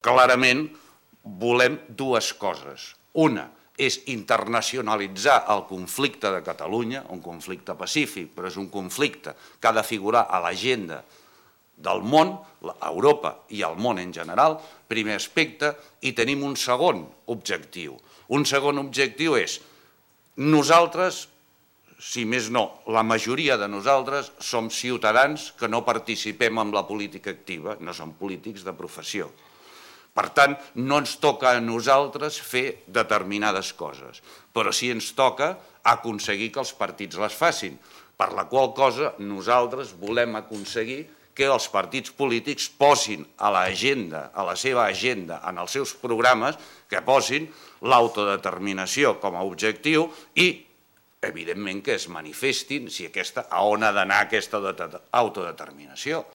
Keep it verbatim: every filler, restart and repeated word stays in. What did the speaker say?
Clarament volem dues coses. Una és internacionalitzar el conflicte de Catalunya, un conflicte pacífic, però és un conflicte que ha de figurar a l'agenda del món, Europa i el món en general, primer aspecte, i tenim un segon objectiu. Un segon objectiu és nosaltres, si més no, la majoria de nosaltres som ciutadans que no participem en la política activa, no som polítics de professió. Per tant, no ens toca a nosaltres fer determinades coses, però sí ens toca aconseguir que els partits les facin, per la qual cosa nosaltres volem aconseguir que els partits polítics posin a l'agenda, a la seva agenda, en els seus programes, que posin l'autodeterminació com a objectiu i, evidentment, que es manifestin si aquesta, a on ha d'anar aquesta autodeterminació.